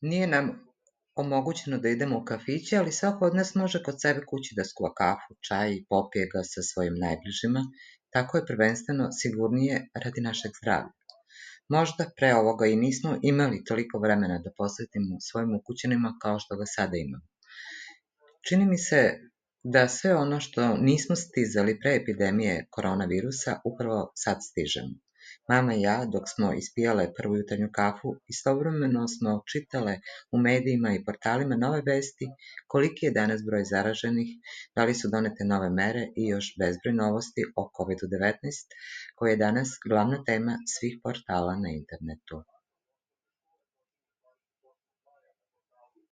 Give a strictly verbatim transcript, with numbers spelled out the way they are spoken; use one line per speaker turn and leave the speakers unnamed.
Nije nam omogućeno da idemo u kafiće, ali svako od nas može kod sebe kući da skuva kafu, čaj i popije ga sa svojim najbližima, tako je prvenstveno sigurnije radi našeg zdravlja. Možda pre ovoga i nismo imali toliko vremena da posvetimo svojim ukućanima kao što ga sada imamo. Čini mi se da sve ono što nismo stizali pre epidemije koronavirusa upravo sad stižemo. Mama i ja, dok smo ispijale prvu jutarnju kafu, istovremeno smo čitale u medijima i portalima nove vesti koliki je danas broj zaraženih, da li su donete nove mere i još bezbroj novosti o kovid devetnaest, koja je danas glavna tema svih portala na internetu.